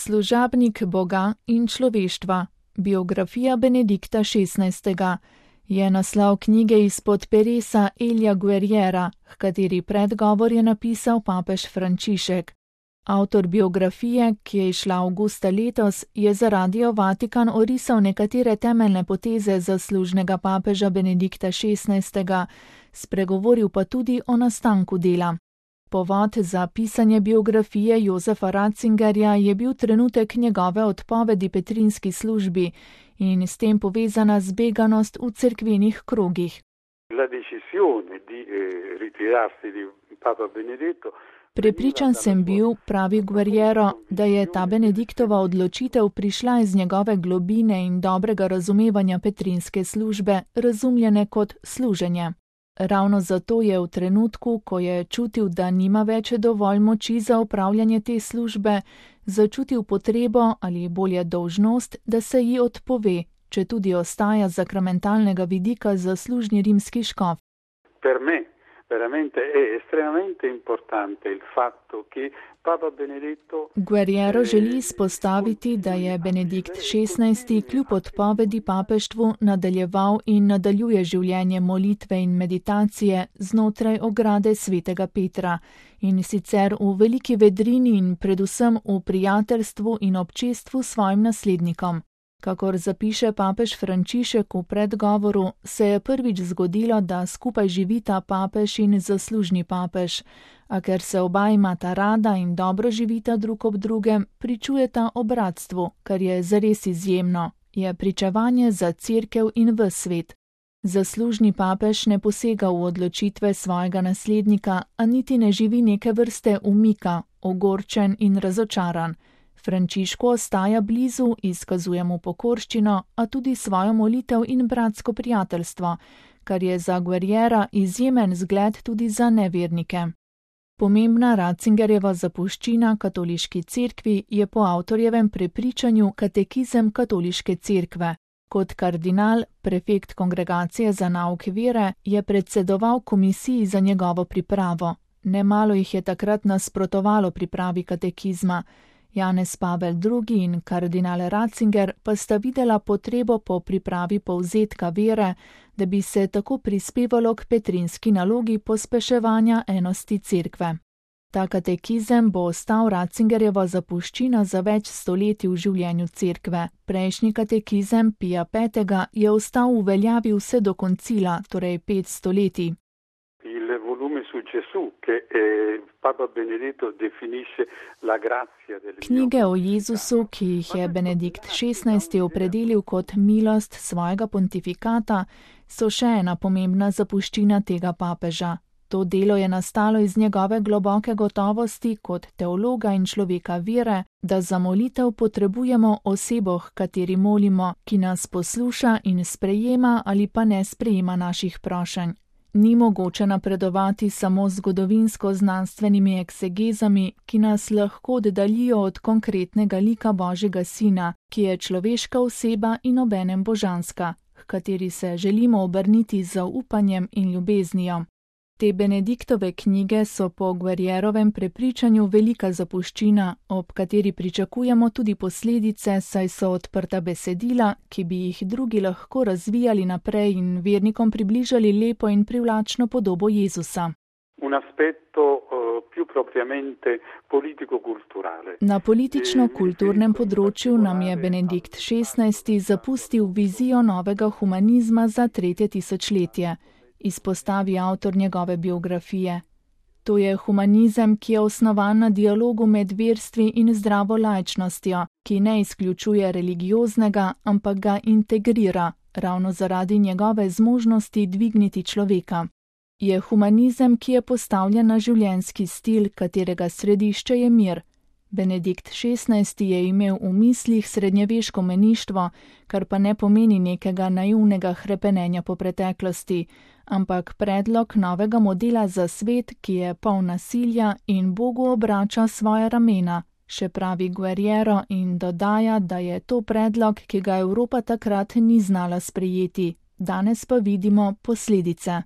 Služabnik Boga in človeštva. Biografija Benedikta XVI. Je naslov knjige izpod peresa Elija Guerriera, h kateri predgovor je napisal papež Frančišek. Avtor biografije, ki je izšla avgusta letos, je za Radio Vatikan orisal nekatere temeljne poteze zaslužnega papeža Benedikta XVI., spregovoril pa tudi o nastanku dela. Povod za pisanje biografije Josefa Ratzingerja je bil trenutek njegove odpovedi petrinski službi in s tem povezana zbeganost v cerkvenih krogih. Prepričan sem bil, pravi Guerriero, da je ta Benediktova odločitev prišla iz njegove globine in dobrega razumevanja petrinske službe, razumljene kot služenje. Ravno zato je v trenutku, ko je čutil, da nima več dovolj moči za opravljanje te službe, začutil potrebo ali bolje dolžnost, da se ji odpove, če tudi ostaja z sakramentalnega vidika zaslužni rimski škof. Guerriero želi izpostaviti, da je Benedikt XVI. Kljub odpovedi papeštvu nadaljeval in nadaljuje življenje molitve in meditacije znotraj ograde svetega Petra, in sicer v veliki vedrini in predvsem v prijateljstvu in občestvu svojim naslednikom. Kakor zapiše papež Frančišek v predgovoru, se je prvič zgodilo, da skupaj živita papež in zaslužni papež, a ker se oba imata rada in dobro živita drug ob drugem, pričujeta o bratstvu, kar je zares izjemno, je pričevanje za cerkev in ves svet. Zaslužni papež ne posega v odločitve svojega naslednika, a niti ne živi neke vrste umika, ogorčen in razočaran. Frančišku ostaja blizu, izkazuje mu pokorščino, a tudi svojo molitev in bratsko prijateljstvo, kar je za Guerriera izjemen zgled tudi za nevernike. Pomembna Ratzingerjeva zapuščina katoliški cerkvi je po avtorjevem prepričanju katekizem katoliške cerkve. Kot kardinal, prefekt kongregacije za nauk vere, je predsedoval komisiji za njegovo pripravo. Nemalo jih je takrat nasprotovalo pripravi katekizma. Janez Pavel II. In kardinal Ratzinger pa sta videla potrebo po pripravi povzetka vere, da bi se tako prispevalo k petrinski nalogi pospeševanja enosti cerkve. Ta katekizem bo ostal Ratzingerjeva zapuščina za več stoletij v življenju cerkve. Prejšnji katekizem Pija V. je ostal v veljavi vse do koncila, torej 5 stoletij. Knjige o Jezusu, ki jih je Benedikt XVI. Opredelil kot milost svojega pontifikata, so še ena pomembna zapuščina tega papeža. To delo je nastalo iz njegove globoke gotovosti kot teologa in človeka vere, da za molitev potrebujemo osebo, h kateri molimo, ki nas posluša in sprejema ali pa ne sprejema naših prošenj. Ni mogoče napredovati samo z zgodovinsko-znanstvenimi eksegezami, ki nas lahko oddaljijo od konkretnega lika Božjega Sina, ki je človeška oseba in obenem božanska, h kateri se želimo obrniti z zaupanjem in ljubeznijo. Te Benediktove knjige so po Guerrierovem prepričanju velika zapuščina, ob kateri pričakujemo tudi posledice, saj so odprta besedila, ki bi jih drugi lahko razvijali naprej in vernikom približali lepo in privlačno podobo Jezusa. Na politično-kulturnem področju nam je Benedikt XVI. Zapustil vizijo novega humanizma za 3. tisočletje. Izpostavi avtor njegove biografije. To je humanizem, ki je osnovan na dialogu med verstvi in zdravo laičnostjo, ki ne izključuje religioznega, ampak ga integrira, ravno zaradi njegove zmožnosti dvigniti človeka. Je humanizem, ki je postavljen na življenjski stil, katerega središče je mir. Benedikt XVI. Je imel v mislih srednjeveško meništvo, kar pa ne pomeni nekega naivnega hrepenenja po preteklosti, ampak predlog novega modela za svet, ki je poln nasilja in Bogu obrača svoja ramena, še pravi Guerriero in dodaja, da je to predlog, ki ga Evropa takrat ni znala sprejeti. Danes pa vidimo posledice.